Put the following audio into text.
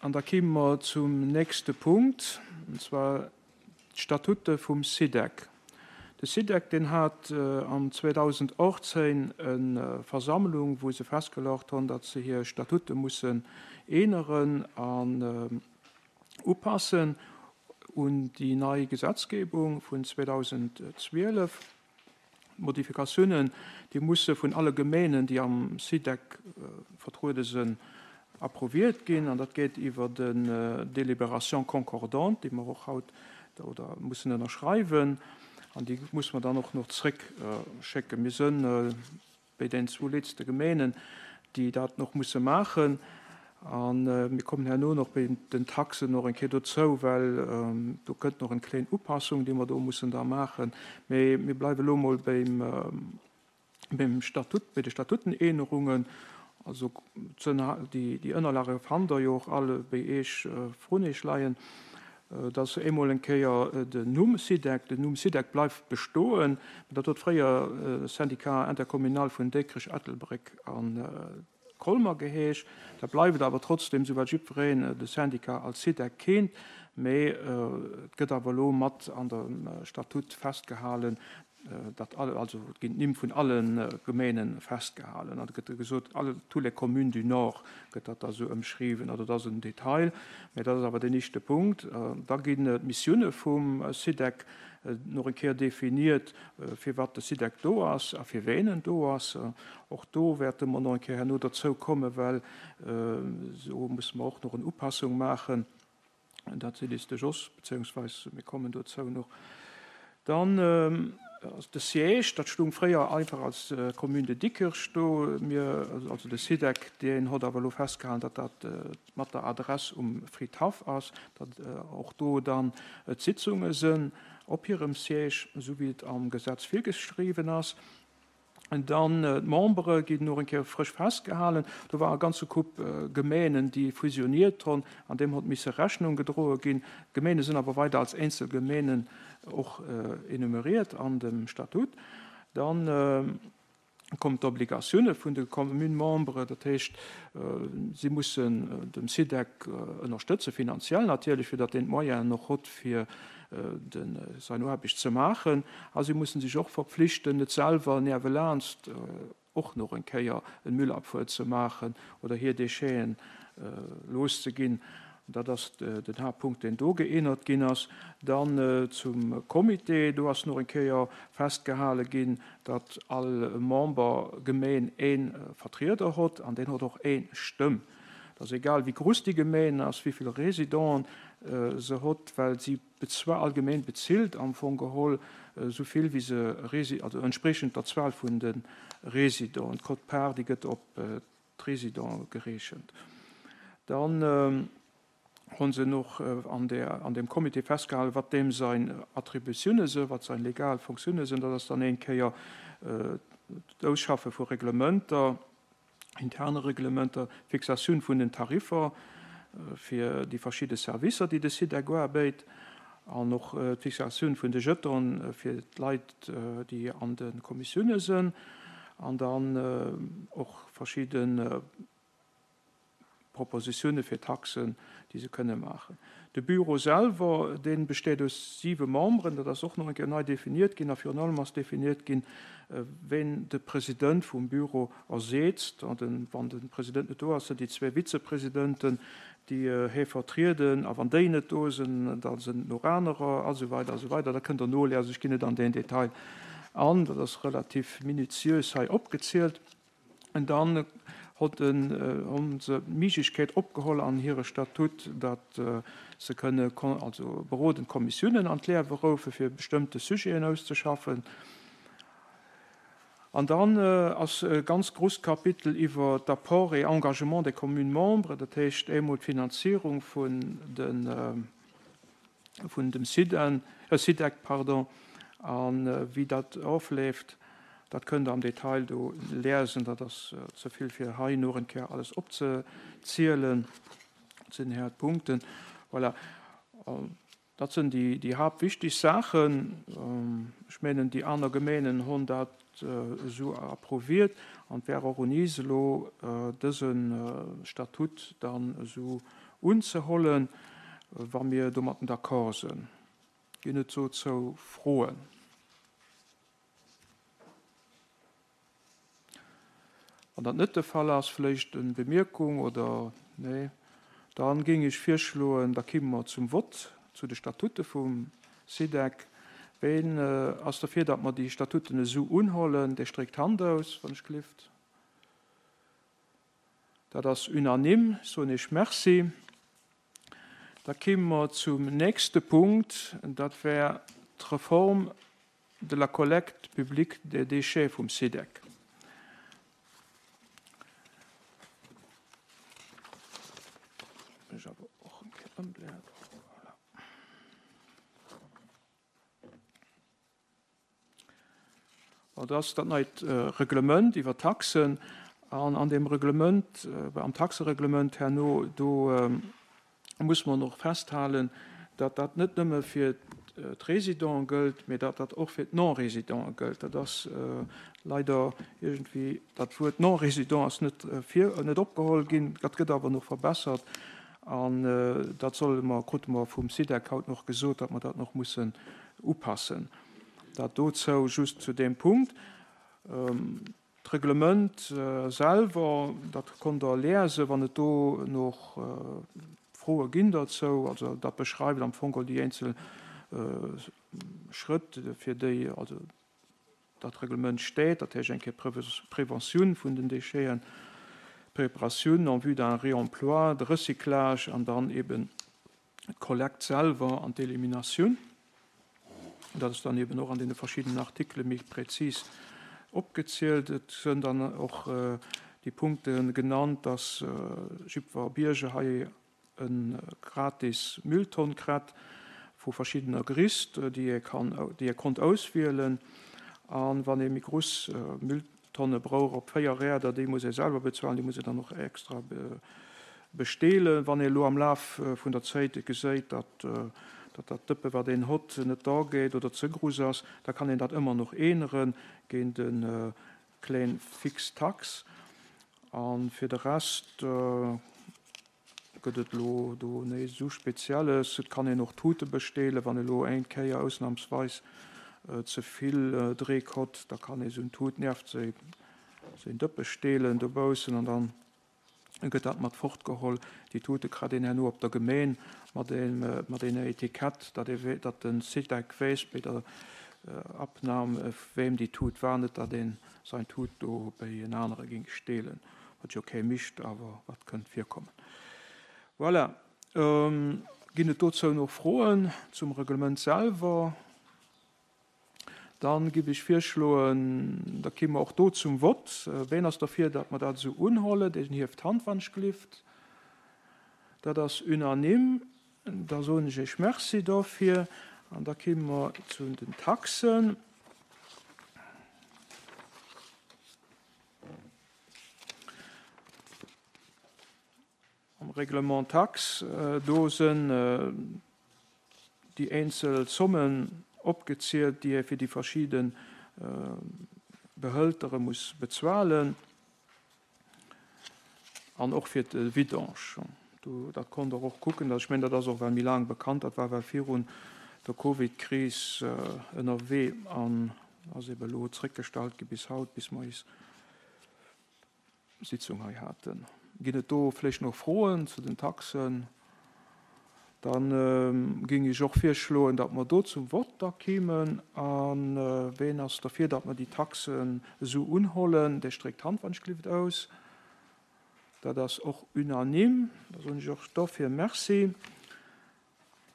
An da kime mer zum nächste Punkt, an zwar d'Statute vum SIDEC. De SIDEC, deen hat am 2018 e Versammlung, wou se festgelaucht hunn, datt se hir Statute mussen eeneren an upassen un déi nei Gesetzgebung vun 2012. D'Modifikatiounen, déi musse vun alle Gemeenen, déi am SIDEC vertruede sinn, approuviert ginn. An dat geet iwwer en Délibération concordante, déi mer och haut oder mussen ënnerschreiwen. An déi musse mer dann och nach zréckschécken. Mir sinn Béi den zwou letzte Gemeenen, déi dat noch musse maachen. A mir kommen herno nach béi den Taxen och eng Kéier dozou, well do kënnt nach eng kléin Upassung, déi mer do mussen da maachen. Mee mir bleiwe elo emol béim, béim Statut, béi de Statutenänerungen. Also déi Ënnerlage fannt Der jo och all béi Iech, vrun Iech leien. Et ass eemol eng Kéier den Numm SIDEC. Den Numm SIDEC bleift bestoen. Dat huet fréier Syndicat intercommunal vun Dikrech, Ettelbréck a Colmer geheescht. Dat bleift awer trotzdem, esou well jiddwereen de Syndicat als SIDEC keent. Mee et gëtt awer elo mat an dem Statut festgehalen, datt all, also et ginn d'Nimm vun alle Gemeene festgehalen an et gëtt gesot, alle, tous les communes du Nord gëtt dat da sou ëmschriwwen. Also dat ass en Detail, mä dat ass awer deen éischte Punkt. Da ginn d'Missioune vum SIDEC nach eng Kéier definiert, firwat de SIDEC do ass a fir ween en do ass. Och do wäerte mer nach eng Kéier herno derzou kommen, well do musse mer och nach en Upassung maachen. Dat seet eis de Jos, beziehungsweise mir kommen dozou noch. Dann ass de Siège, dat stung fréier einfach als Commune de Diekirch do. Mir, also de SIDEC, deen hott awer elo festgehalen, datt dat mat der Adress um Fridhaff ass, datt och do dann d'Sitzunge sënn op hirem Siège, esou wéi et am Gesetz virgeschriwwen ass. Dann d'Membere ginn och eng Kéier frësch festgehalen. Do war e ganze Koup Gemeenen, déi fusioniert hunn, an deem hott misse Rechnung gedroe ginn. D'Gemeene sinn awer weider als eenzel Gemeenen och enumeriert an dem Statut. Dann kommen d'Obligatioune vun de Commune-Membere, dat heescht, si mussen dem SIDEC ënnerstëtzen, finanziell natierlech, fir datt deen d'Moyenen och hott, fir sein Aarbecht ze maachen, a si mussen sech och verpflichten, net selwer niewelaanscht och nach eng Kéier en Müllabfuhr ze maachen oder hir Décheten loszeginn. Dat ass den Haaptpunkt, deen do geännert ginn ass. Dann zum Comité, do ass nach eng Kéier festgehale ginn, datt all Membergemeen ee Vertrieder hott an deen hott och ee Stëmm. Et ass egal, wéi grouss déi Gemeen ass, wéi vill Résidenten se hott, well si zwar all Gemeen bezilt am Fong geholl esou vill wéi se Rési-, also entspriechend der Zuel vun de Résidenten. D'Quote-part, déi gëtt op d'Résidenten gereechent. Dann hu se och an där, an deem Comité festgehalen, wat deem sein Attributiounen sinn, wat sein legal Fonctiounen sinn. Dat ass dann een Kéier d'Ausschaffe vu Reglementer, interne Reglementer, d'Fixatioun vun den Tariffer fir déi verschidde Servicer, déi de SIDEC uabéit, an och d'Fixatioun vun de Jetonen fir d'Leit, déi an de Kommissioune sinn, an dann och verschidde Propositioune fir Taxen, déi se kënne maachen. De Bureau selwer, dee besteet aus siwe Memberen, dat ass och nach eng Kéier nei definiert ginn, a virun allem ass definiert ginn, ween de President vum Bureau erseetzt. An wann de President net do ass, sinn déi zwee Vizepresidenten, déi hie vertrieden, a wann déi net do sinn, da sinn et nach anerer, a sou weider a sou weider. Dat kënnt Der noliesen, ech ginn net an deen Detail an, dat ass relativ minutiös hei opgezielt. An dann hott en, hunn se d'Miiglechkeet opgeholl an hire Statut, datt se kënne also berodend Kommissiounen an d'Liewe roufe fir bestëmmte Sujeten auszeschaffen. An dann ass e ganz grousst Kapitel iwwer d'Apports et engagements des communes membres, dat heescht eemol d'Finanzierung vun de vun dem SIDEN, SIDEC, pardon, a wéi dat ofleeft, dat kënnt Der am Detail do liesen. Dat ass ze vill fir hei no en Kéier alles opzezielen. Dat sinn här d'Punkten. Voilà. Dat sinn déi, déi haaptwichtig Saachen. Ech mengen, déi aner Gemeenen hunn dat esou approuviert an et wär och un is elo, dëse Statut dann esou. unzehollen, wa mir domatten d'accord sënn. Ginn et dozou Froen? Wann dat net de Fall ass, vléicht en Bemierkung oder nee, dann géing ech virschloen, da kimme mer zum Vott zu de Statute vum SIDEC. Ween ass derfir, datt mer déi Statuten esou unhollen? Dee stréckt d'Hand aus, wann ech gelift. Dat ass unanime. Ech soen Iech Merci. Da kimme mer zum nächste Punkt, dat wär d'Reform de la collecte publique des déchets vum SIDEC. Dat ass dat neit Reglement iwwer d'Taxen. An an deem Reglement, am Taxereglement herno, do muss mer och festhalen, datt dat net nëmme fir d'Résidenten gëllt, mee datt dat och fir d'Non-Résidenten gëllt. Dat ass leider iergendwéi, dat Wuert Non-Résident ass net vir, net opgeholl ginn. Dat gëtt awer nach verbessert an dat solle mer, krute mer vum SIDEC haut nach gesot, datt mer dat nach mussen upassen. Dat dozou just zu deem Punkt. D'Reglement selwer, dat konnt Der liesen, wann et do nach Froe ginn derzou. Also dat beschreift am Fong geholl déi eenzel Schrëtt, fir déi also dat Reglement steet, dat heescht eng Kéier Préventioun vun den Décheten, Préparatioun en vue d'un réemploi, de Recyclage an dann eben d'Kollekt selwer an d'Eliminatioun. Dat ass dann eben och an deene verschiddenen Artikele méi präzis opgezielt. Et sënn dann och déi Punkte genannt, dass jiddwer Bierger hei e gratis Mülltonn krett vu verschiddener Grisst, déi ee kann, déi ee konnt auswielen. A wann ee méi gruss Mülltonne brouch op 4 Räder, déi muss ee selwer bezuelen, déi muss ee dann och extra besteelen. Wann ee elo am Laf vun der Zéit geséit, datt dat Dëppe wat een hott net da geet oder ze gruss ass, da kann een dat ëmmer noch eenere géint e kléin fix Tax. A fir de Rest gëtt et elo do néischt esou Spezielles. Et kann een och Tute besteelen, wann elo eng Kéier ausnamsweis ze vill Dreek hott, da kann ee sou en Tut nieft séin Dëppe steelen dobaussen an dann gëtt dat mat fortgeholl. Déi Tute kritt een herno op der Gemeen mat enger Etikett, datt ee, datt de Sidec weess bei der Abnam, weem déi Tut war, net datt een säin Tut do bei en anere géing steelen, wat jo kee mischt, awer wat kënnt virkommen. Voilà. Ginn et dozou nach Froen zum Reglement selwer? Dann giff ech virschloen, da ki mer och do zum Vott. Ween ass derfir, datt mer dat esou unhollen? Deen hieft d'Hand, wann ech gelift. Dat ass unanime. Da soen ech Iech Merci dofir. An da ki mer zu den Taxen. Am Règlement taxe, do sënn déi eenzel Zommen opgezielt, déi ee fir déi verschidde Behëltere muss bezuelen an och fir de Vidange. Do, dat konnt Der och kucken. Ech mengen, dat ass och well méi laang bekannt. Dat war well virun der Covidkris ënnerwee an ass ebe elo zréckgestallt gi bis haut, bis mer eis Sitzung hei haten. Ginn et do vläicht nach Froen zu den Taxen? Da géing ech och virschloen, datt mer do zum Vott da kéimen. A ween ass derfir, datt mer déi Taxen esou unhollen? Dee stréckt d'Hand, wann ech gelift, aus. Dat ass och unanime. Da soen ech och dofir Merci.